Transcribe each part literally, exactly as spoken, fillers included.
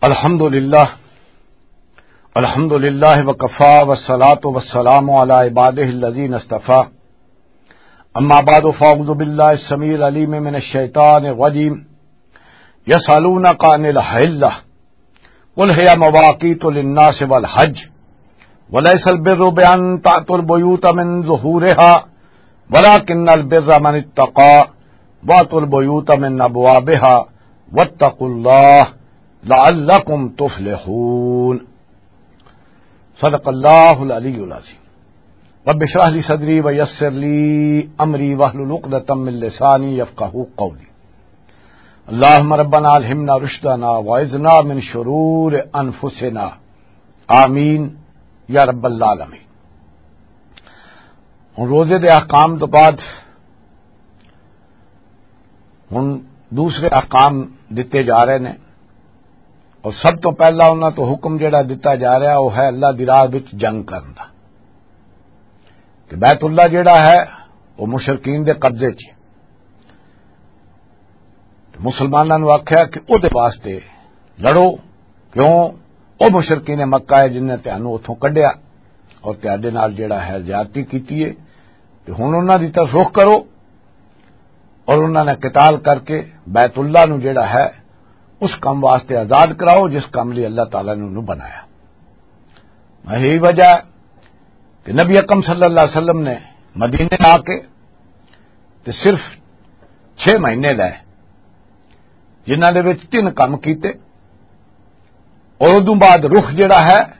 الحمد لله. الحمد لله وكفى والصلاة والسلام على عباده الذين اصطفى. أما بعد فأعوذ بالله السميع العليم من الشيطان الرجيم. يسألونك عن الأهلة قل هي مواقيت للناس والحج وليس البر بأن تأتوا البيوت من ظهورها ولكن البر من اتقى وأتوا البيوت من أبوابها واتقوا الله لعلكم تفلحون. صدق اللہ العلی العظیم. رب اشرح لی صدری ویسر لی امری واحلل عقدۃ من لسانی یفقہوا قولی. اللہم ربنا الہمنا رشدنا واعذنا من شرور انفسنا. آمین یا رب العالمین. ہن روزے دے احکام تو بعد ہن دوسرے احکام دتے جا رہے نے، اور سب تو پہلا انہاں تو حکم جڑا دتا جا رہا، وہ ہے اللہ دی راہ وچ جنگ کرن دا، کہ بیت اللہ جڑا ہے، وہ مشرکین دے قبضے 'چ ہے۔ تے مسلماناں نوں آکھیا کہ او دے واسطے لڑو، کیوں؟ او مشرکین مکہ ہے جنہاں تانوں اتھوں کڈیا اور تہاڈے نال جڑا ہے زیادتی کیتی ہے، تے ہن انہاں دی طرف رخ کرو اور انہاں نے قتال کر کے بیت اللہ نوں جڑا ہے اس کم واسطے آزاد کراؤ جس کم لئی اللہ تعالیٰ نے انہوں بنایا۔ یہی وجہ ہے کہ نبی اکرم صلی اللہ علیہ وسلم نے مدینے آ کے تے صرف چھ مہینے لے، جنہاں دے وچ تین کم کیتے، اور ادوں بعد رخ جڑا ہے،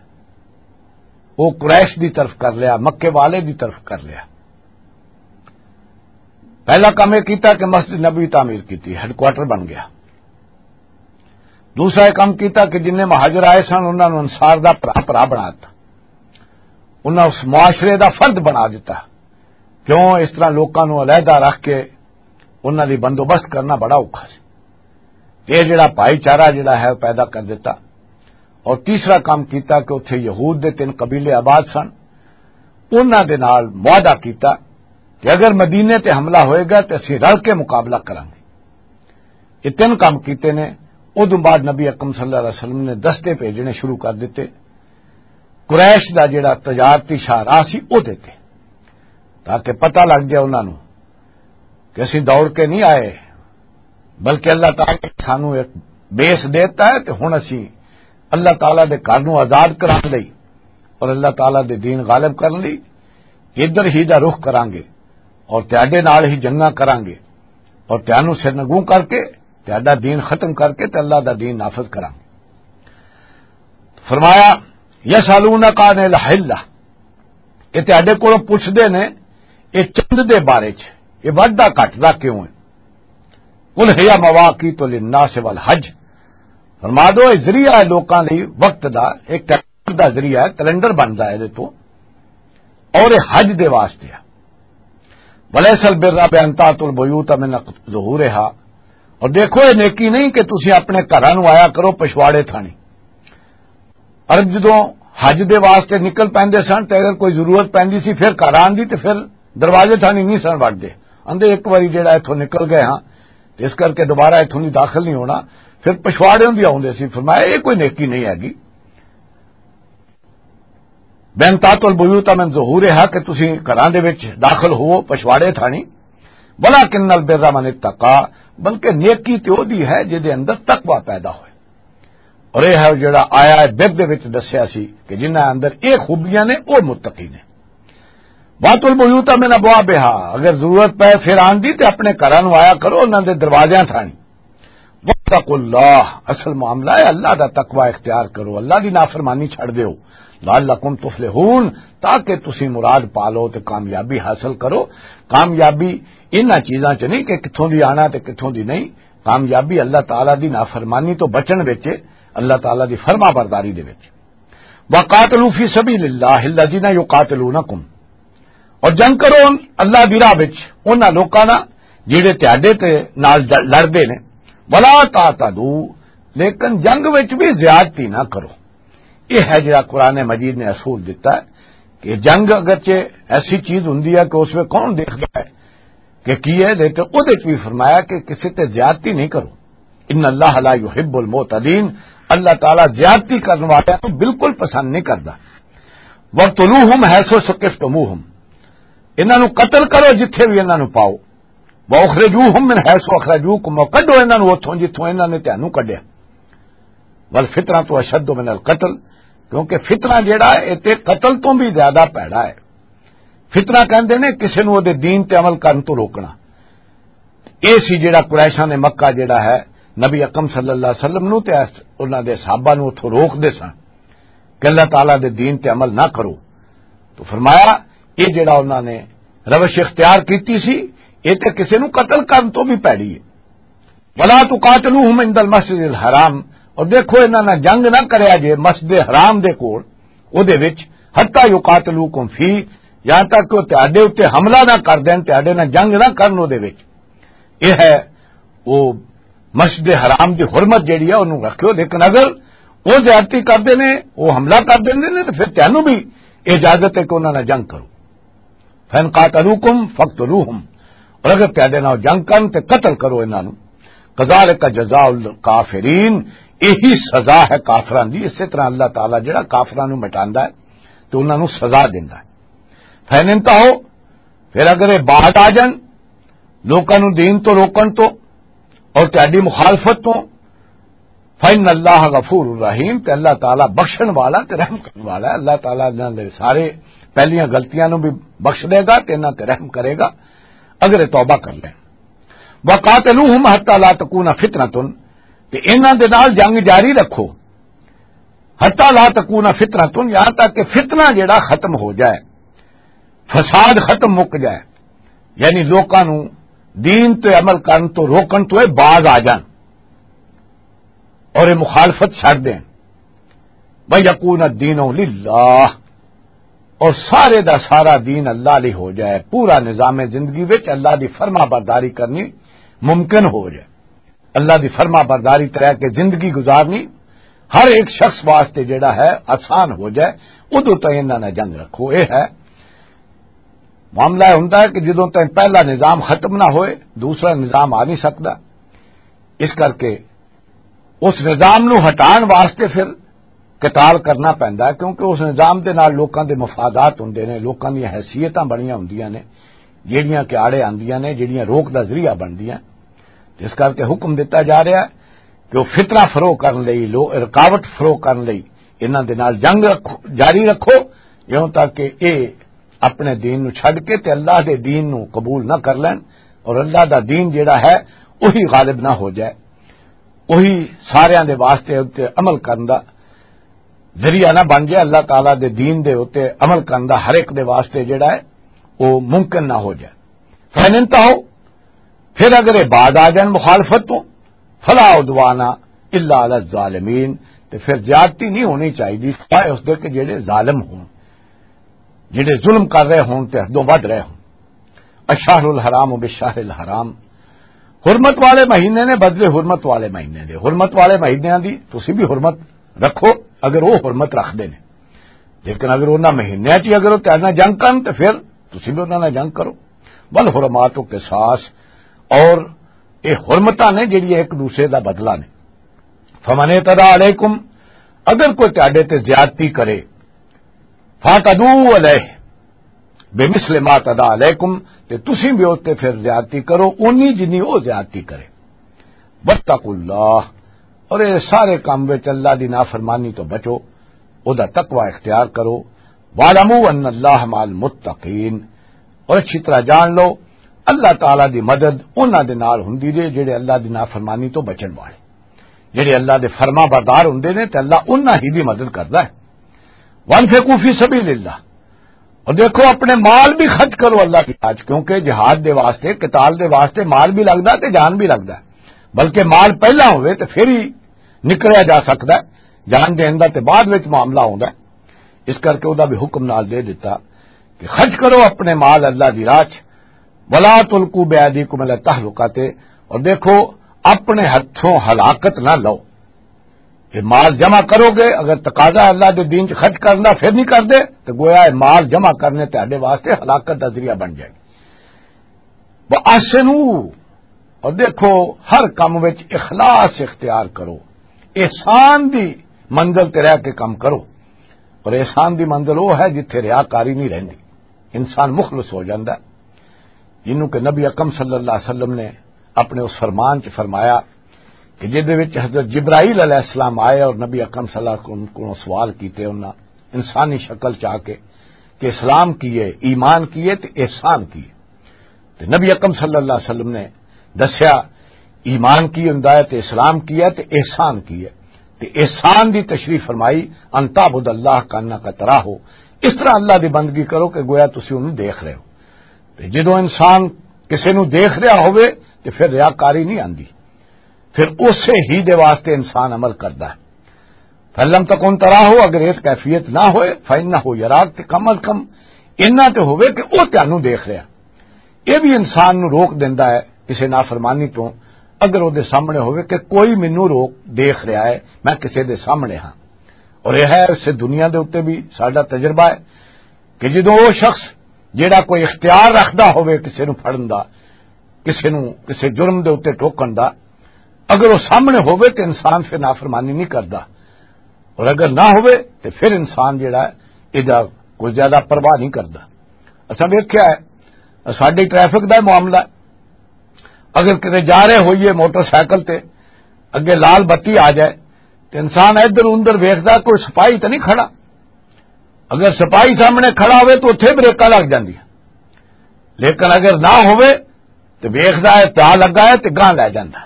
وہ قریش دی طرف کر لیا، مکے والے دی طرف کر لیا۔ پہلا کام یہ کیتا کہ مسجد نبوی تعمیر کیتی، ہیڈ کوارٹر بن گیا۔ دوسرا یہ کام کیتا کہ جنہیں مہاجر آئے سن، انہاں نوں انصار دا بھرا، بھرا بنا دتا، انہاں اس معاشرے دا فرد بنا دتا۔ کیوں؟ اس طرح لوکاں نوں علیحدہ رکھ کے انہاں دی بندوبست کرنا بڑا اوکھا سی۔ یہ جڑا بھائی چارہ جڑا ہے، وہ پیدا کر دیتا۔ اور تیسرا کام کیتا کہ اتھے یہود دے تین قبیلے آباد سن، انہاں دے نال معاہدہ کیتا کہ اگر مدینے تے حملہ ہوئے گا تے اسی رل کے مقابلہ کریں گے۔ یہ تین کام کیتے نے۔ ادوں بعد نبی اکرم صلی اللہ علیہ وسلم نے دستے بھیجنے شروع کر دیتے۔ قریش دا جڑا تجارتی شاہراہ سی، او دیتے، تاکہ پتہ لگ جائے انہاں نوں کہ اسی دوڑ کے نہیں آئے، بلکہ اللہ تعالیٰ نے سانوں ایک بیس دیتا ہے، تے ہن اسی اللہ تعالیٰ دے گھر نوں آزاد کران لئی اور اللہ تعالیٰ دے دین غالب کرن لئی ادھر ہی دا رخ کران گے اور تہاڈے نال ہی جنگاں کران گے اور تہانوں سرنگوں کر کے، تہاڈا دین ختم کر کے تے اللہ دا دین نافذ کران گے۔ فرمایا، "یسالونک عن الحلہ"، یہ تہاڈے کولوں پوچھدے نے، یہ چند دے بارے چ، یہ ودھدا گھٹدا کیوں ہے؟ "قل ہی مواقیت للناس والحج"، فرما دو، یہ ذریعہ ہے لوکاں لئی وقت دا، ایک کیلنڈر دا ذریعہ ہے، کیلنڈر بندا ہے ادے تو، اور یہ حج دے واسطے ہے۔ "ولیس البر بان تاتوا البیوت من ظہورہا"، اور دیکھو، یہ نیکی نہیں کہ تسی اپنے گھراں نوں آیا کرو پچھواڑے تھانی۔ عرب جدوں حج دے واسطے نکل پیندے سن تے اگر کوئی ضرورت پیندی سی پھر گھر آن دی تے پھر دروازے تھانی نہیں سن وڑدے۔ آندے ایک واری جڑا اتھوں نکل گئے ہاں تے اس کر کے دوبارہ اتھوں نہیں داخل نہیں ہونا، پھر پچھواڑے ہوندی آوندے سی۔ فرمایا، یہ کوئی نیکی نہیں ہے گی۔ "بان تاتوا البیوت من ظہورہا"، کہ تسی گھراں دے وچ داخل ہوو پچھواڑے تھانی، "ولکن البر من اتقی"، بلکہ نیکی تے او دی ہے جے دے اندر تقوی پیدا ہوئے۔ اور یہ ہے جڑا آیا ہے بر دے وچ دسیا سی کہ جنہاں اندر یہ خوبیاں نے، او متقی نے۔ "واتوا البیوت من ابوابہا"، اگر ضرورت پے پھر آن دی تے اپنے گھراں نوں آیا کرو انہاں دے دروازیاں تھانی۔ "واتقوا اللہ"، اصل معاملہ ہے اللہ دا تقوی اختیار کرو، اللہ دی نافرمانی چھڑ دیو۔ "لعلکم تفلحون"، تاکہ تسی مراد پا لو تے کامیابی حاصل کرو۔ کامیابی انہاں چیزاں چ نہیں کہ کتھوں دی آنا تے کتھوں دی نہیں۔ کامیابی اللہ تعالیٰ دی نافرمانی تو بچن وچ ہے، اللہ تعالیٰ دی فرما برداری دے وچ۔ "وقاتلوا فی سبیل اللہ الذین یقاتلونکم"، اور جنگ کرو ان اللہ دی راہ وچ انہاں لوکاں نال جڑے تہاڈے تے نال ج-، لڑدے نے۔ "ولا تعتدوا"، لیکن جنگ وچ بھی زیادتی نہ کرو۔ یہ ہے جڑا قرآن مجید نے اصول دیتا ہے کہ جنگ اگرچہ ایسی چیز ہوندی ہے کہ اس میں کون دیکھدا ہے کہ کی ہے، لیکن وہ بھی فرمایا کہ کسی تے زیادتی نہیں کرو۔ ان اللہ لا یحب المعتدین، اللہ تعالیٰ زیادتی کرنے والوں کو بالکل پسند نہیں کرتا۔ وَاقْتُلُوهُمْ حَيْثُ ثَقِفْتُمُوهُمْ، انہاں نوں قتل کرو جتھے بھی انہاں نوں پاؤ۔ وَأُخْرِجُوهُمْ مِنْ حَيْثُ أَخْرَجُوكُمْ، اور کڈو انہاں نوں اتھوں جتھوں انہاں نے تانوں کڈیا۔ وَالْفِتْنَةُ أَشَدُّ مِنَ الْقَتْلِ، کیونکہ فتنہ جیڑا ہے، اے تے قتل تو بھی زیادہ پیڑا ہے۔ فتنہ کہندے نے کسے نوں او دے دین تے عمل کرن تو روکنا۔ اے سی جڑا قریشاں نے مکہ جڑا ہے، نبی اکرم صلی اللہ علیہ وسلم نو تے انہاں دے صحابہ نو اتھوں روک دے سن کہ اللہ تعالیٰ دے دین تے عمل نہ کرو۔ تو فرمایا، اے جڑا انہاں نے روش اختیار کیتی سی، اے تے کسے نو قتل کرن تو بھی پیڑی ہے۔ ولا تقاتلوہم عند المسجد الحرام، اور دیکھو، انہاں نال جنگ نہ کریا جے مسجد حرام دے کول، او دے وچ، حتی یقاتلوکم فی، یہاں تک کہ او تہاڈے اُتے حملہ نہ کر دین، تہاڈے نال جنگ نہ کرن او دے وچ۔ اے ہے او مسجد حرام دی حرمت جیڑی ہے، اونوں رکھیو، لیکن اگر او زیادتی کردے نے، او حملہ کر دیندے نے، تے پھر تانوں بھی اجازت ہے کہ انہاں نال جنگ کرو۔ فَإِنْ قَاتَلُوكُمْ فَاقْتُلُوهُمْ، اور اگر تہاڈے نال جنگ کرن تے قتل کرو انہاں نوں۔ كَذَٰلِكَ جَزَاءُ الْكَافِرِينَ، یہی سزا ہے کافراں دی۔ اسی طرح اللہ تعالیٰ جڑا کافراں نوں مٹاندا ہے تے انہاں نوں سزا دیندا ہے۔ فَإِنِ انْتَهَوْا، پھر اگر یہ باز آ جان لوکاں نوں دین تو روکن تو اور تہاڈی مخالفت تو، فَإِنَّ اللَّهَ غَفُورٌ رَّحِيمٌ، تے اللہ تعالیٰ بخشن والا تے رحم کرن والا ہے۔ اللہ تعالیٰ انہاں دے سارے پہلیاں غلطیاں نوں بھی بخش دے گا تے انہاں تے رحم کرے گا اگر یہ توبہ کر لیں۔ وَقَاتِلُوهُمْ حَتَّىٰ لَا تَكُونَ فِتْنَةٌ، تے انہاں دے نال جنگ جاری رکھو، حَتَّىٰ لَا تَكُونَ فِتْنَةٌ، یہاں تک کہ فتنہ جڑا ختم ہو جائے، فساد ختم مک جائے، یعنی لوکاں نوں دین تے عمل کرن تو روکن تو اے باز آ جان اور اے مخالفت چھڈ دین۔ وَيَكُونَ الدِّينُ لِلَّهِ، اور سارے دا سارا دین اللہ لئی ہو جائے، پورا نظام زندگی وچ اللہ دی فرما برداری کرنی ممکن ہو جائے۔ اللہ دی فرما برداری تے رہ کے زندگی گزارنی ہر ایک شخص واسطے جڑا ہے آسان ہو جائے، ادوں تائیں انہاں نال جنگ رکھو۔ اے ہے معاملہ، یہ ہوندا ہے کہ جدوں تائیں پہلا نظام ختم نہ ہوئے، دوسرا نظام آ نہیں سکدا۔ اس کر کے اس نظام نو ہٹان واسطے پھر قتال کرنا پیندا ہے، کیونکہ اس نظام دے نال لوکاں دے مفادات ہوندے نے، لوکاں دیاں حیثیتاں بنیاں ہوندیاں نے، جیڑیاں کہ آڑے آندیاں نے، جیڑیاں روک دا ذریعہ بندیاں۔ جس کر کے حکم دتا جا رہا ہے کہ وہ فتنہ فروغ کرن لئی، لو-، رکاوٹ فروغ کرن لئی انہاں دے نال جنگ رکھو، جاری رکھو، یوں تاکہ اے اپنے دین نو چھڈ کے تے اللہ دے دین نو قبول نہ کر لین، اور اللہ دا دین جیڑا ہے، وہی غالب نہ ہو جائے، وہی ساریاں دے واسطے اُتے عمل کرن دا ذریعہ نہ بن جائے، اللہ تعالیٰ دے دین دے اُتے عمل کرن دا ہر ایک دے واسطے جڑا ہے، وہ ممکن نہ ہو جائے۔ فَإِنِ انْتَهَوْا، پھر اگر یہ باز آ جان مخالفت تو، فَلَا عُدْوَانَ إِلَّا عَلَى الظَّالِمِينَ، تو پھر زیادتی نہیں ہونی چاہیے سوائے اس دے کہ جڑے ظالم ہون، جڑے ظلم کر رہے ہون تے حدوں ودھ رہے ہون۔ الشہر الحرام بالشہر الحرام، حرمت والے مہینے نے بدلے حرمت والے مہینے دے۔ حرمت والے مہینے دی تسی بھی حرمت رکھو اگر وہ حرمت رکھدے نے، لیکن اگر انہاں مہینے چ اگر وہ تیرے نال جنگ کرن تے پھر تسی بھی انہاں نال جنگ کرو۔ والحرمات قصاص، اور یہ حرمتاں نے جڑی ایک دوسرے دا بدلہ نے۔ فمن اعتدى عليكم، اگر کوئی تہاڈے تے زیادتی کرے، فاعتدوا عليه بمثل ما اعتدى عليكم، تے تسی بھی اس تے پھر زیادتی کرو، اونی جنی وہ زیادتی کرے۔ واتقوا الله، اور یہ سارے کام وچ اللہ دی نافرمانی تو بچو، او دا تقوی اختیار کرو۔ واعلموا ان الله مع المتقين، اور اچھی طرح جان لو، اللہ تعالیٰ دی مدد انہاں دے نال ہوندی جے جڑے اللہ دی نافرمانی تو بچن والے، جڑے اللہ دے فرما بردار ہوندے نے تے اللہ انہاں ہی دی مدد کردا ہے۔ وَأَنفِقُوا فِي سَبِيلِ اللَّهِ، اور دیکھو اپنے مال بھی خرچ کرو اللہ کی راہ چ، کیونکہ جہاد دے واسطے، قتال دے واسطے مال بھی لگدا تے جان بھی لگدا ہے، بلکہ مال پہلا ہوئے تے پھر ہی نکلیا جا سکدا ہے، جان دین دا تے بعد وچ معاملہ ہوندا ہے۔ اس کر کے او دا بھی حکم نال دے دیتا کہ خرچ کرو اپنے مال اللہ دی راہ چ، وَلَا تُلْقُوا بِأَيْدِيكُمْ إِلَى التَّهْلُكَةِ، اور دیکھو اپنے ہتھوں ہلاکت نہ لو۔ یہ مال جمع کرو گے، اگر تقاضا ہے اللہ دے دین چ خرچ کرنا پھر نہیں کردے تو گویا یہ مال جمع کرنے تہاڈے واسطے ہلاکت دا ذریعہ بن جائے گی۔ وَأَحْسِنُوا، اور دیکھو، ہر کم وچ اخلاص اختیار کرو، احسان دی منزل تے رہ کے کم کرو۔ اور احسان دی منزل وہ ہے جتھے ریاکاری نہیں رہندی، انسان مخلص ہو جاندا ہے، جنوں کہ نبی اکرم صلی اللہ علیہ وسلم نے اپنے اس فرمان چ فرمایا کہ جس دے وچ حضرت جبرائیل علیہ السلام آئے اور نبی اکرم صلی اللہ علیہ وسلم کو سوال کیتے، انہاں انسانی شکل چ آ کے کہ اسلام کی ہے، ایمان کی ہے تے احسان کی ہے۔ تے نبی اکرم صلی اللہ علیہ وسلم نے دسیا، ایمان کی ہوندا ہے تے اسلام کی ہے تے احسان کی ہے۔ تے احسان دی تشریح فرمائی، "ان تعبد اللہ کانک تراہ ہو"، اس طرح اللہ دی بندگی کرو کہ گویا تسی اونوں دیکھ رہے ہو۔ تے جدوں انسان کسے نوں دیکھ رہا ہوئے تے پھر ریاکاری نہیں آندی، پھر اسے ہی دے واسطے انسان عمل کردا ہے۔ فَإِن لَّمْ تَكُن تَرَاهُ، اگر اس کیفیت نہ ہوئے، فَإِنَّهُ يَرَاكَ، تے کم از کم اتنا تے ہوئے کہ وہ تینوں دیکھ رہا۔ یہ بھی انسان نو روک دیندا ہے کسی نافرمانی تو، اگر وہ دے سامنے ہوئے کہ کوئی مینوں روک دیکھ رہا ہے، میں کسی دے سامنے ہاں۔ اور یہ ہے اس دنیا دے اُتے بھی ساڈا تجربہ ہے کہ جدوں وہ شخص جیڑا کوئی اختیار رکھدا ہوئے کسی نو پھڑن دا، کسی نو کسی جرم دے اُتے ٹوکن دا، اگر وہ سامنے ہوئے تے انسان پھر نافرمانی نہیں کردا، اور اگر نہ ہوئے تے پھر انسان جیڑا ہے، ایدا کوئی زیادہ پرواہ نہیں کردا۔ اساں ویکھیا ہے، ساڈے ٹریفک دا معاملہ ہے، اگر کتے جا رہے ہوئیے موٹر سائیکل تے، اگے لال بتی آ جائے تے انسان ادھر اندر ویکھدا، کوئی سپاہی تے نہیں کھڑا۔ اگر سپاہی سامنے کھڑا ہوئے تو اتھے بریکاں لگ جاندیاں، لیکن اگر نہ ہوئے تو ویکھدا ہے، پیا لگا ہے تے گاں لے جاندا۔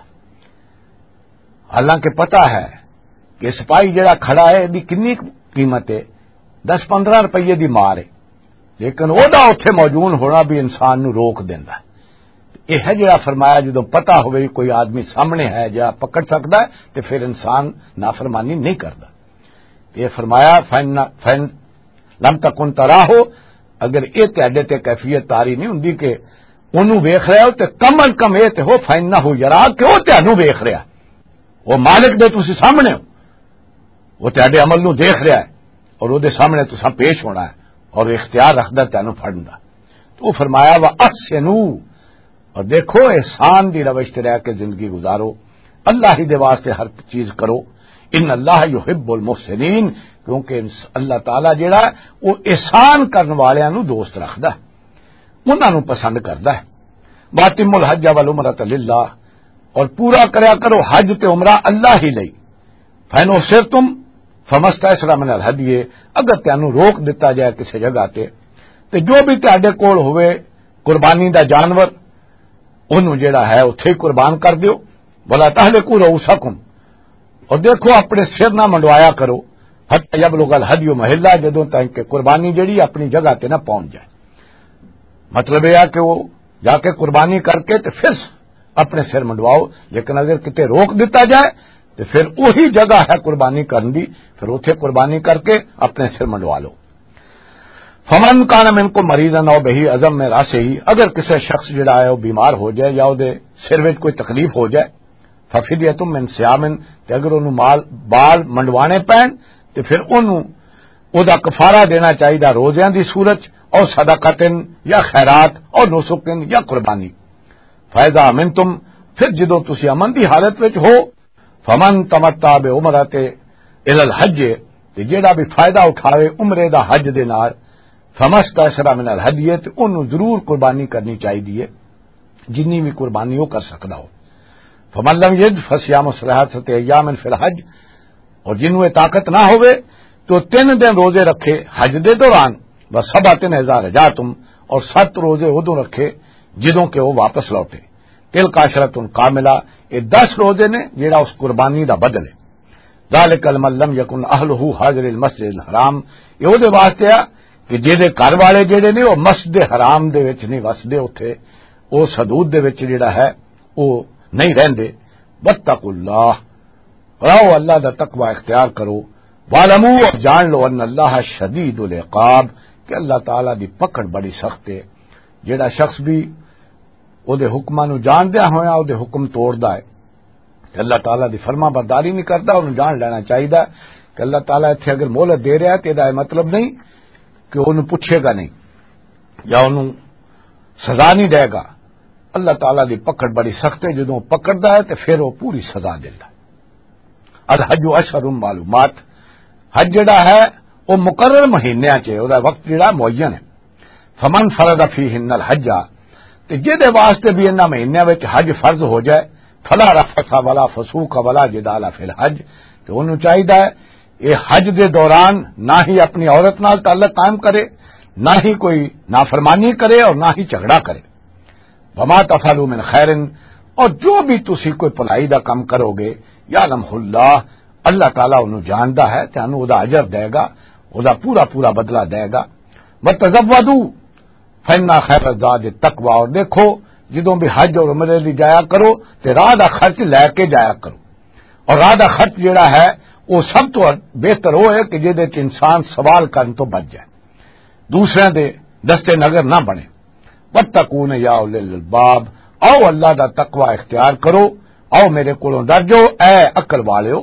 حالانکہ پتہ ہے کہ سپاہی جڑا کھڑا ہے، دی کنی قیمت ہے؟ دس پندرہ روپیے دی مار ہے، لیکن او دا اوتھے موجود ہونا بھی انسان نو روک دیندا۔ یہ ہے جڑا فرمایا، جدوں پتہ ہوئے کوئی آدمی سامنے ہے جڑا پکڑ سکدا ہے، تے پھر انسان نافرمانی نہیں کردا۔ یہ فرمایا، "فَإِن، فَإِن لَمْ تَكُن تَرَاهُ"، اگر یہ تہاڈے تے کیفیت طاری نہیں ہوندی کہ اونوں ویکھ رہے ہو، تے کم از کم یہ تے ہو، "فَإِنَّهُ يَرَاكَ"، کہ وہ تہانوں ویکھ رہا۔ وہ مالک دے تسی سامنے ہو، وہ تہاڈے عمل نو دیکھ رہا ہے، اور وہ دے سامنے تساں پیش ہونا ہے، اور وہ اختیار رکھدا تینوں پھڑن دا۔ تو وہ فرمایا، "وَأَحْسِنُوا"، اور دیکھو، احسان دی روش تے رہ کے زندگی گزارو، اللہ ہی دے واسطے ہر چیز کرو۔ ان اللہ یحب المحسنین، کیونکہ انس-، اللہ تعالیٰ جڑا ہے، وہ احسان کرن والیاں نو دوست رکھدا ہے، انہاں نو پسند کردا ہے۔ وَأَتِمُّوا الْحَجَّ وَالْعُمْرَةَ لِلَّهِ، اور پورا کریا کرو حج تے عمرہ اللہ ہی لئی۔ فَإِنْ أُحْصِرْتُمْ فَمَا اسْتَيْسَرَ مِنَ الْهَدْيِ، اگر تینوں روک دتا جائے کسی جگہ تے، تے جو بھی تہاڈے کول ہوئے قربانی دا جانور، اونوں جڑا ہے اتھے ہی قربان کر دیو۔ وَلَا تَحْلِقُوا رُءُوسَكُمْ، اور دیکھو اپنے سر نہ منڈوایا کرو، حَتَّىٰ يَبْلُغَ الْهَدْيُ مَحِلَّهُ، جدوں تک کہ قربانی جڑی اپنی جگہ تے نہ پہنچ جائے۔ مطلب یہ ہے کہ وہ جا کے قربانی کر کے تے پھر اپنے سر منڈواؤ، لیکن اگر کتے روک دتا جائے تو پھر وہی جگہ ہے قربانی کرن دی، پھر اتھے قربانی کر کے اپنے سر منڈوا لو۔ فَمَنْ كَانَ مِنْكُمْ مَرِيضًا أَوْ بِهِ أَذًى مِنْ رَأْسِهِ، اگر کسے شخص جڑا ہے وہ بیمار ہو جائے یا وہ دے سر وچ کوئی تکلیف ہو جائے، فَفِدْيَةٌ مِنْ صِيَامٍ، تے اگر اونوں مال، بال منڈوانے پین، تے پھر اونوں او دا کفارہ دینا چاہیدا روزیاں دی صورت، او صدقتن یا خیرات، او نسکن یا قربانی۔ فَإِذَا أَمِنْتُمْ، پھر جدوں تسی امن دی حالت وچ ہو، فَمَنْ تَمَتَّعَ بِالْعُمْرَةِ إِلَى الْحَجِّ، تے جیڑا بھی فائدہ اٹھاوے عمرے دا حج دے نال، فَمَا اسْتَيْسَرَ مِنَ الْهَدْيِ، تے اونوں ضرور قربانی کرنی چاہیدی ہے، جنی بھی قربانی وہ کر سکدا ہو۔ فَمَنْ لَمْ يَجِدْ فَصِيَامُ ثَلَاثَةِ أَيَّامٍ فِي الْحَجِّ، اور جنوں یہ طاقت نہ ہوئے تو تین دن روزے رکھے حج دے دوران، وَسَبْعَةٍ إِذَا رَجَعْتُمْ، اور ست روزے ادوں رکھے جدوں کہ وہ واپس لوٹے۔ تِلْكَ عَشْرَةٌ كَامِلَةٌ، یہ دس روزے نے جڑا اس قربانی دا بدل ہے۔ ذَلِكَ لِمَنْ لَمْ يَكُنْ أَهْلُهُ حَاضِرِي الْمَسْجِدِ الْحَرَامِ، یہ وہ دے واسطے آ کہ جہدے گھر والے جڑے نے وہ مسجد حرام دے وچ نہیں وسدے، اتھے اس حدود دے وچ جڑا ہے وہ نہیں رہندے۔ وَاتَّقُوا اللَّهَ، رہو اللہ دا تقوی اختیار کرو۔ وَاعْلَمُوا، اور جان لو، أَنَّ اللَّهَ شَدِيدُ الْعِقَابِ، کہ اللہ تعالیٰ دی پکڑ بڑی سخت ہے۔ جڑا شخص بھی او دے حکماں نو جاندیا ہویا او دے حکم توڑدا ہے تے اللہ تعالیٰ دی فرما برداری نہیں کردا، انہوں جان لینا چاہیدا کہ اللہ تعالیٰ اتھے اگر مہلت دے رہا ہے تے دا مطلب نہیں کہ انہوں پوچھے گا نہیں یا انہوں سزا نہیں دے گا۔ اللہ تعالیٰ دی پکڑ بڑی سخت ہے، جدوں پکڑدا ہے تے پھر وہ پوری سزا دیندا۔ الحج اشہر معلومات، حج جڑا ہے، وہ مقرر مہینیاں چ ہے، وہ وقت جڑا معین ہے۔ فمن فرض فیہن الحج، تے جہدے واسطے بھی انہاں مہینیاں وچ حج فرض ہو جائے، فلا رفث ولا فسوق ولا جدال فی الحج، تے انہوں چاہیدا ہے یہ حج دے دوران نہ ہی اپنی عورت نال تعلق قائم کرے، نہ ہی کوئی نافرمانی کرے اور نہ ہی جھگڑا کرے۔ وما تفعلوا من خیر، اور جو بھی تسی کوئی بھلائی دا کم کرو گے، یعلمہ اللہ، اللہ تعالیٰ انہوں جاندا ہے، تے انہوں او دا اجر دے گا، او دا پورا پورا بدلہ دے گا۔ وتزودوا فإن خیر الزاد التقوی، اور دیکھو، جدوں بھی حج اور عمرے دی جایا کرو، تے راہ دا خرچ لے کے جایا کرو، اور راہ دا خرچ جڑا ہے، وہ سب تو بہتر وہ ہے کہ جہدے چ انسان سوال کرن تو بچ جائے، دوسرے دے دستے نظر نہ بنے۔ واتقون یا اولی الالباب، آؤ اللہ دا تقوی اختیار کرو، آؤ میرے کولوں ڈر جاؤ اے عقل والےو۔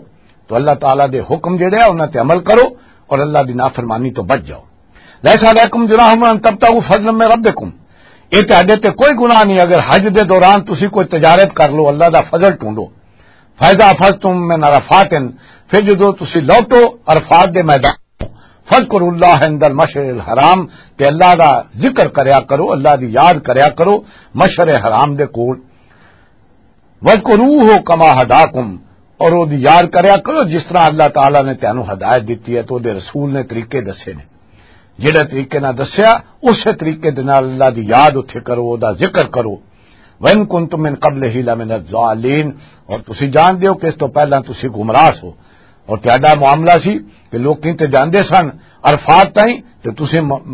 تو اللہ تعالیٰ دے حکم جڑے آ، انہاں تے عمل کرو اور اللہ دی نافرمانی تو بچ جاؤ۔ لیس علیکم جناح ان تبتغوا فضلا من ربکم، یہ تہاڈے تے کوئی گناہ نہیں اگر حج دے دوران تسی کوئی تجارت کر لو، اللہ دا فضل ڈھونڈو۔ فاذا افضتم من عرفات، پھر جدو تسی لوٹو عرفات دے میدان، فذکروا اللہ عند المشعر الحرام، تے اللہ دا ذکر کریا کرو، اللہ دی یاد کریا کرو مشعر حرام دے کول۔ وذکروہ کما ہداکم، اور او دی یاد کریا کرو جس طرح اللہ تعالیٰ نے تینوں ہدایت دتی ہے، تو دے رسول نے طریقے دسے نے۔ جڑے طریقے نال دسیا، اسے طریقے دے نال اللہ دی یاد اتھے کرو، او دا ذکر کرو۔ وَإِن كُنتُم مِّن قَبْلِهِ لَمِنَ الضَّالِّينَ، اور تسی جان دیو کہ اس تو پہلا تسی گمراہ سو۔ اور تہاڈا معاملہ سی کہ لوکیں تے جاندے سن عرفات تائیں، تے تسی م-،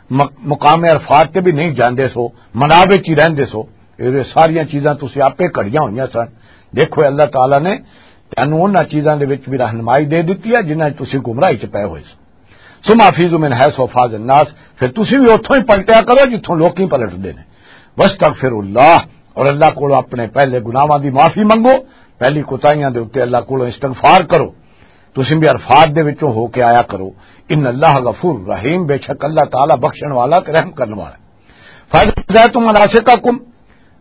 م-، مقام عرفات تے بھی نہیں جاندے سو، منا وچ ہی رہندے سو۔ یہ ساریاں چیزاں تسی آپے کھڑیاں ہوئیاں سن۔ دیکھو، اللہ تعالیٰ نے تینوں انہاں چیزاں دے وچ بھی رہنمائی دے دتی ہے جنہاں وچ تسی گمراہی چ پے ہوئے سو۔ ثم افیضوا من حیث افاض الناس، پھر تسی بھی اتھوں ہی پلٹیا کرو جتھوں لوکی پلٹدے نے۔ واستغفروا اللہ، اور اللہ کولوں اپنے پہلے گناہاں دی معافی منگو، پہلی کوتاہیاں دے اُتے اللہ کولوں استغفار کرو۔ تسی بھی عرفات دے وچوں ہو کے آیا کرو۔ ان اللہ غفور رحیم، بے شک اللہ تعالیٰ بخشن والا تے رحم کرن والا ہے۔ فَإِذَا قَضَيْتُم مَّنَاسِكَكُمْ،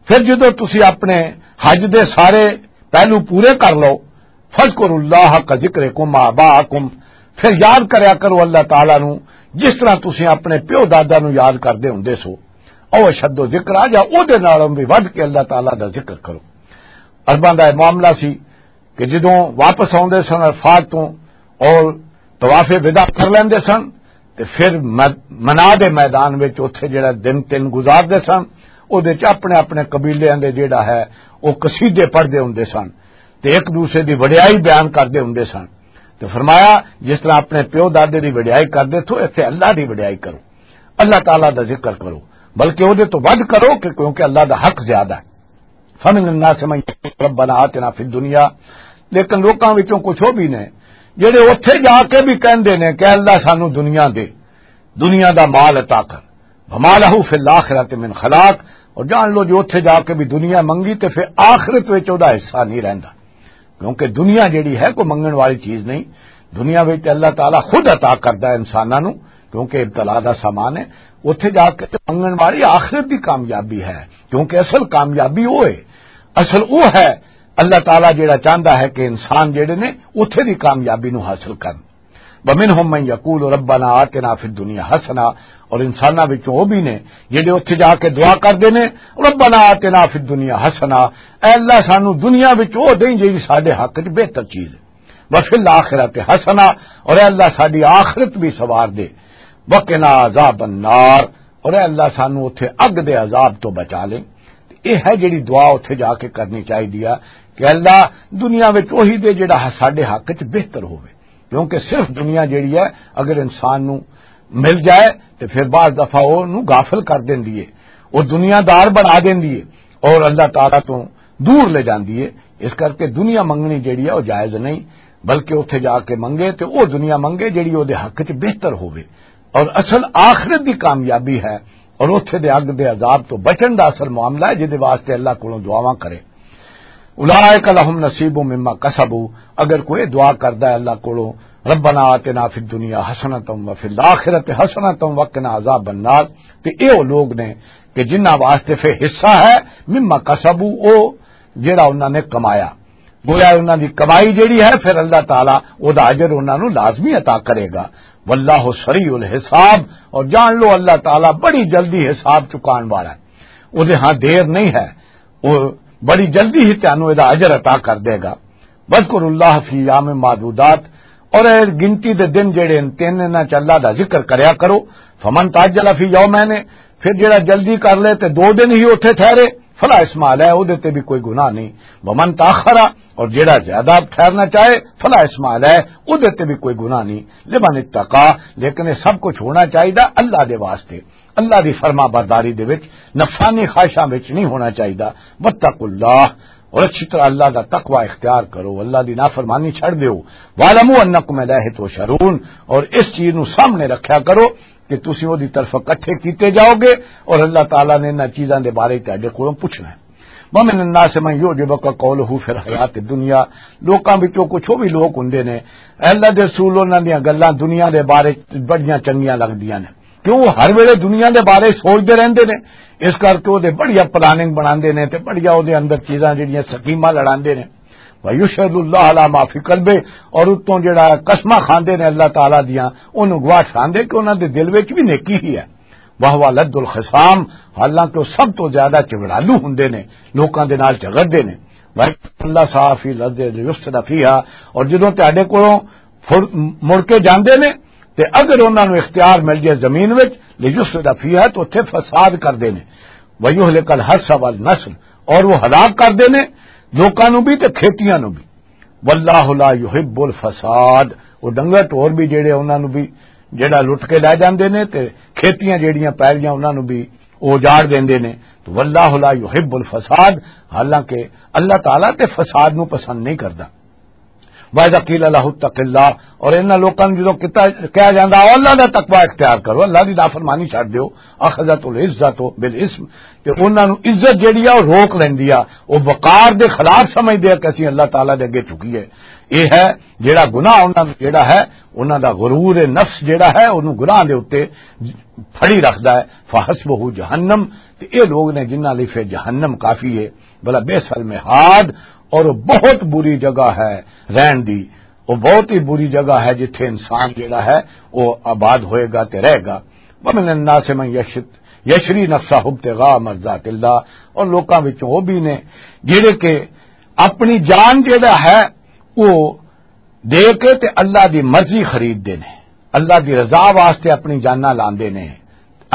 پھر جدوں تسی اپنے حج دے سارے پہلو پورے کر لو، فذکروا اللہ کا ذکرکم آباءکم، پھر یاد کریا کرو اللہ تعالیٰ نو جس طرح تسی اپنے پیو دادا نو یاد کردے ہوندے سو، او اشد ذکر آ جا، او دے نالوں بھی ودھ کے اللہ تعالیٰ دا ذکر کرو۔ عرباں دا یہ معاملہ سی کہ جدوں واپس آوندے سن عرفات تو اور طواف وداع کر لیندے سن، تے پھر مد-، منا دے میدان وچ اوتھے جڑا دن تین گزاردے سن، او دے چ اپنے اپنے قبیلیاں دے جڑا ہے او قصیدے پڑھدے ہوندے سن، تے ایک دوسرے دی وڈیائی بیان کردے ہوندے سن۔ تے فرمایا، جس طرح اپنے پیو دادے دی وڈیائی کردے تھو، ایتھے اللہ دی وڈیائی کرو، اللہ تعالیٰ دا ذکر کرو، بلکہ او دے تو ودھ کرو کہ، کیونکہ اللہ دا حق زیادہ ہے۔ فمن الناس من یقول ربنا آتنا فی الدنیا، لیکن لوکاں وچوں کچھ وہ بھی نے جڑے اوتھے جا کے بھی کہندے نے کہ اللہ سانو دنیا دے، دنیا دا مال عطا کر۔ وما لہ فی الآخرۃ من خلاق، اور جان لو جو اوتھے جا کے بھی دنیا منگی تے پھر آخرت وچ او دا حصہ نہیں رہندا، کیونکہ دنیا جڑی ہے کوئی منگن والی چیز نہیں۔ دنیا وچ تے اللہ تعالیٰ خود عطا کردا ہے انساناں نو، کیونکہ ابتلا دا سامان ہے۔ اوتھے جا کے تے منگن والی آخرت دی کامیابی ہے، کیونکہ اصل کامیابی وہ ہے، اصل وہ ہے۔ اللہ تعالیٰ جڑا چاہندا ہے کہ انسان جڑے نے اوتھے دی کامیابی نو حاصل کرن۔ ومنہم من یقول ربنا آتنا فی الدنیا حسنہ، اور انساناں وچوں وہ بھی نے جڑے اوتھے جا کے دعا کردے نے، ربنا آتنا فی الدنیا حسنہ، اے اللہ سانو دنیا وچ وہ دیں جڑی ساڈے حق وچ بہتر چیز ہے، وفی الآخرۃ حسنہ، اور اے اللہ ساڈی آخرت بھی سوار دے، وقنا عذاب النار، اور اے اللہ سانو اوتھے اگ دے عذاب تو بچا لیں۔ تے اے ہے جڑی دعا اوتھے جا کے کرنی چاہیدی ہے کہ اللہ دنیا وچ وہی دے جڑا ساڈے حق وچ بہتر ہوے، کیونکہ صرف دنیا جڑی ہے اگر انسان نو مل جائے تے پھر بعض دفعہ او نو غافل کر دیندی ہے، او دنیا دار بنا دیندی ہے اور اللہ تعالیٰ تو دور لے جاندی ہے۔ اس کر کے دنیا منگنی جڑی ہے وہ جائز نہیں، بلکہ اوتھے جا کے منگے تے او دنیا منگے جڑی او دے حق وچ بہتر ہوے۔ اور اصل آخرت دی کامیابی ہے اور اوتھے دے اگ دے عذاب تو بچن دا اصل معاملہ ہے، جس دے واسطے اللہ کولوں دعاواں کرے۔ اولئک لہم نصیب مما کسبوا، اگر کوئی دعا کردا ہے اللہ کولوں ربنا آتنا فی الدنیا حسنۃ وفی الآخرۃ حسنۃ وقنا عذاب النار۔ تے اے او لوگ نے کہ جنہاں واسطے فے حصہ ہے، مما کسبوا، او جڑا انہاں نے کمایا۔ گویا انہاں دی کمائی جڑی ہے، پھر اللہ تعالیٰ او دا اجر انہاں نوں لازمی عطا کرے گا۔ واللہ سریع الحساب، اور جان لو اللہ تعالیٰ بڑی جلدی حساب چکان والا ہے، او دے ہاں دیر نہیں ہے، او بڑی جلدی ہی تانوں اے دا اجر عطا کر دے گا۔ وذکروا اللہ فی ایام معدودات، اور اے گنتی دے دن جڑے ان تین انہاں چ اللہ دا ذکر کریا کرو۔ فمن تعجل فی یومین، پھر جڑا جلدی کر لے تے دو دن ہی اوتھے ٹھہرے، فلا اثم علیہ، او دے تے بھی کوئی گناہ نہیں۔ ومن تاخر، اور جڑا زیادہ ٹھہرنا چاہے، فلا اثم علیہ، او دے تے بھی کوئی گناہ نہیں۔ لمن اتقا، لیکن یہ سب کچھ ہونا چاہیے اللہ دے واسطے، اللہ دی فرما برداری دے وچ، نفسانی خواہشاں وچ نہیں ہونا چاہیے۔ واتقوا اللہ، اور اچھی طرح اللہ دا تقوی اختیار کرو، اللہ دی نافرمانی چھڑ دیو۔ واعلموا انکم الیہ تحشرون، اور اس چیز نو سامنے رکھیا کرو کہ تسی او دی طرف اکٹھے کیتے جاؤ گے، اور اللہ تعالیٰ نے انہاں چیزاں دے بارے تہاڈے کولوں پوچھنا ہے۔ ومن الناس من یعجبک قولہ فی الحیات الدنیا، لوکاں وچوں کچھ او بھی لوک ہوندے نے، اے اللہ دے رسول، انہاں دیاں گلاں دنیا دے بارے بڑیاں چنگیاں لگدیاں نے، کیوں؟ ہر ویلے دنیا دے بارے سوچدے رہندے نے، اس کر کے او دے بڑیاں پلاننگ بناندے نے تے بڑیاں او دے اندر چیزاں جڑیاں سکیماں لڑاندے نے۔ وَيُشْهِدُ اللَّهَ عَلَى مَا فِي قَلْبِهِ، اور اتوں جڑا قسماں کھاندے نے اللہ تعالیٰ دیاں، انہوں گواہ ٹھاندے کہ انہاں دے دل وچ بھی نیکی ہی ہے۔ وَهُوَ أَلَدُّ الْخِصَامِ، حالانکہ وہ سب تو زیادہ جھگڑالو ہوندے نے، لوکاں دے نال جھگڑدے نے۔ وَإِنْ اللَّهَ فِي الْأَرْضِ لِيُفْسِدَ فِيهَا، اور جدوں تہاڈے کولوں پھر مڑ کے جاندے نے، تے اگر انہاں نوں اختیار مل جائے زمین وچ، لِيُفْسِدَ فِيهَا، تو اتھے فساد کردے نے۔ وَيُهْلِكَ الْحَرْثَ وَالنَّسْلَ، اور وہ ہلاک کردے نے لوکاں نوں بھی تے کھیتیاں نوں بھی۔ وَاللَّهُ لَا يُحِبُّ الْفَسَادَ، وہ ڈنگر ٹور بھی جڑے انہاں نوں بھی جڑا لٹ کے لے جاندے نے تے کھیتیاں جڑیاں پہلیاں انہاں نوں بھی وہ اجاڑ دیندے نے۔ تو وَاللَّهُ لَا يُحِبُّ الْفَسَادَ، حالانکہ اللہ تعالیٰ تے فساد نوں پسند نہیں کردا۔ وَإِذَا قِيلَ لَهُمُ اتَّقُوا اللَّهَ، اور انہاں لوکاں نوں جدوں کیتا، کہا جاندا، "او اللہ دا تقوی اختیار کرو، اللہ دی نافرمانی چھڈ دیو"، "أَخَذَتْهُمُ الْعِزَّةُ بِالْإِثْمِ"، تے انہاں نوں عزت جڑی آ، او روک لیندی آ، او وقار دے خلاف سمجھدے آ کہ اسیں اللہ تعالیٰ دے اگے جھکی ہے۔ اے ہے جڑا گناہ انہاں نوں جڑا ہے، انہاں دا غرور نفس جڑا ہے، اونوں گناہ دے اُتے پھڑی رکھدا ہے۔ فَحَسْبُهُ جَهَنَّمُ، تے اے لوگ نے جنہاں لئی پھر جہنم کافی ہے۔ بلا بئس المہاد، اور وہ بہت بری جگہ ہے رہن دی، وہ بہت ہی بری جگہ ہے جتھے انسان جڑا ہے وہ آباد ہوئے گا تے رہے گا۔ وَمِنَ النَّاسِ مَن يَشْتَ-، يَشْتَرِي نَفْسَهُ ابْتِغَاءَ مَرْضَاتِ اللَّهِ، اور لوکاں وچوں وہ بھی نے جڑے کہ اپنی جان جڑا ہے وہ دے کے تے اللہ دی مرضی خریددے نے، اللہ دی رضا واسطے اپنی جاناں لاندے نے،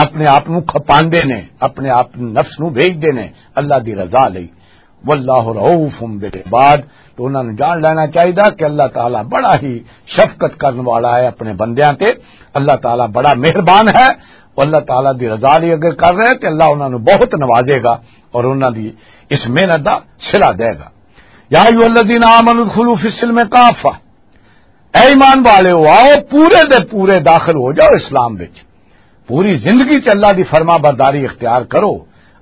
اپنے آپ نوں کھپاندے نے، اپنے آپ نفس نوں بیچدے نے اللہ دی رضا لئی۔ واللہ رؤوف بالعباد، تو انہاں نوں جان لینا چاہیدا کہ اللہ تعالیٰ بڑا ہی شفقت کرن والا ہے اپنے بندیاں تے۔ اللہ تعالیٰ بڑا مہربان ہے، وہ اللہ تعالیٰ دی رضا لئی اگر کر رہے تے اللہ انہاں نوں بہت نوازے گا اور انہاں دی اس محنت دا صلہ دے گا۔ یا ایھا الذین آمنوا ادخلوا فی السلم کافہ، اے ایمان والے ہو، آؤ پورے دے پورے داخل ہو جاؤ اسلام وچ۔ پوری زندگی چ اللہ دی فرما برداری اختیار کرو،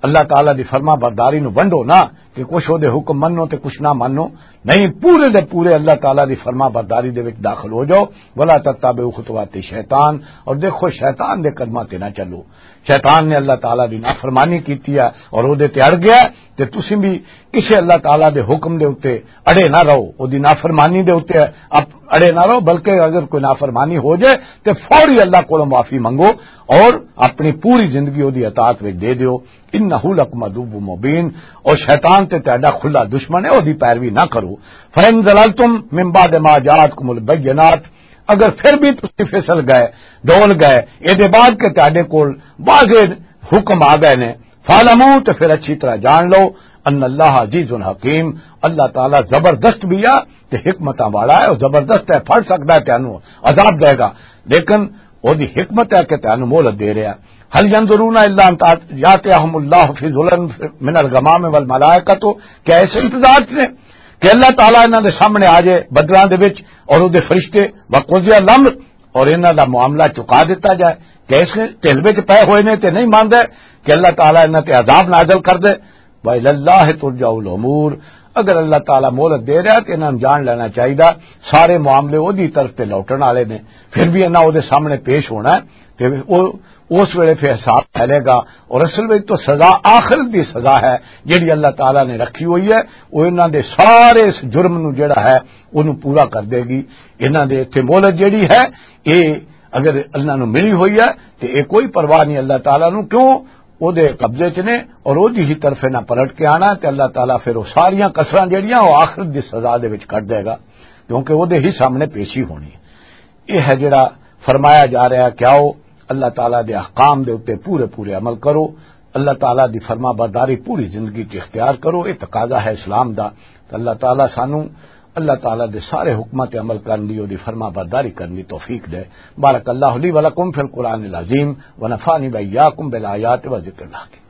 اللہ تعالیٰ دی فرما برداری نو ونڈو نہ کہ کچھ او دے حکم منو تے کچھ نہ منو، نہیں، پورے دے پورے اللہ تعالیٰ دی فرما برداری دے وچ داخل ہو جاؤ۔ ولا تتبعوا خطوات الشیطان، اور دیکھو شیطان دے قدماں تے نہ چلو۔ شیطان نے اللہ تعالیٰ دی نافرمانی کیتی ہے اور او دے تے اڑ گیا ہے، تے تسی بھی کسے اللہ تعالیٰ دے حکم دے اُتے اڑے نہ رہو، او دی نافرمانی دے اُتے اپ-، اڑے نہ رہو، بلکہ اگر کوئی نافرمانی ہو جائے تے فوری اللہ کولوں معافی منگو اور اپنی پوری زندگی او دی اطاعت وچ دے دیو۔ انہ لکم عدو مبین، اور شیطان تے تہاڈا کھلا دشمن ہے، او دی پیروی نہ کرو۔ فَإِن زَلَلْتُم مِّن بَعْدِ مَا جَاءَتْكُمُ الْبَيِّنَاتُ، اگر پھر بھی تسی پھسل گئے، ڈول گئے، اے دے بعد کہ تہاڈے کول واضح حکم آ گئے نے، فَاعْلَمُوا، تے پھر اچھی طرح جان لو، ان اللہ عزیز حکیم، اللہ تعالیٰ زبردست بھی آ تے حکمتاں والا ہے، او زبردست ہے، پھڑ سکدا ہے تینوں، عذاب دے گا، لیکن او دی حکمت ہے کہ تینوں مہلت دے رہا ہے۔ هل ينظرون الا ان تأتيهم اللہ فی ظلل من الغمام والملائکۃ، کیا اس انتظار چ نے کہ اللہ تعالیٰ انہاں دے سامنے آ جائے بدلاں دے وچ اور او دے فرشتے، وقضی الامر، اور انہاں دا معاملہ چکا دتا جائے؟ کہ اس ٹھل وچ پے ہوئے نے تے نہیں مندا کہ اللہ تعالیٰ انہاں تے عذاب نازل کر دے؟ وَإِلَى اللَّهِ تُرْجَعُ الْأُمُورُ، اگر اللہ تعالیٰ مہلت دے رہا ہے تو انہاں نوں جان لینا چاہیے۔ سارے معاملے اودی طرف تے لوٹن والے نے، پھر بھی انہاں اودے سامنے پیش ہونا ہے۔ تے او، اس ویلے پھر حساب پھیلے گا۔ اور اصل وچ تو سزا، آخرت دی سزا ہے جڑی اللہ تعالیٰ نے رکھی ہوئی ہے، وہ انہاں دے سارے اس جرم نو جڑا ہے، اونوں پورا کر دے گی۔ انہاں دے اتھے مہلت جڑی ہے، اے اگر انہاں نوں ملی ہوئی ہے، تے اے کوئی پرواہ نہیں اللہ تعالیٰ نوں۔ کیوں؟ او دے قبضے چ نے، اور او دی ہی طرف نہ پلٹ کے آنا، تے اللہ تعالیٰ پھر او ساریاں کسراں جڑیاں او آخرت دی سزا دے وچ کٹ دے گا، کیونکہ او دے ہی سامنے پیشی ہونی ہے۔ یہ ہے جڑا فرمایا جا رہا ہے کہ آؤ، اللہ تعالیٰ دے احکام دے اُتے پورے پورے عمل کرو، اللہ تعالیٰ دی فرما برداری پوری زندگی چ اختیار کرو۔ یہ تقاضا ہے اسلام دا۔ تو اللہ تعالیٰ سانو، اللہ تعالیٰ دے سارے حکماں تے عمل کرن دی، او دی فرما برداری کرن دی توفیق دے۔ بارک اللہ لی و لکم فی القرآن العظیم و نفعنی و ایاکم بالآیات و ذکر الحکیم۔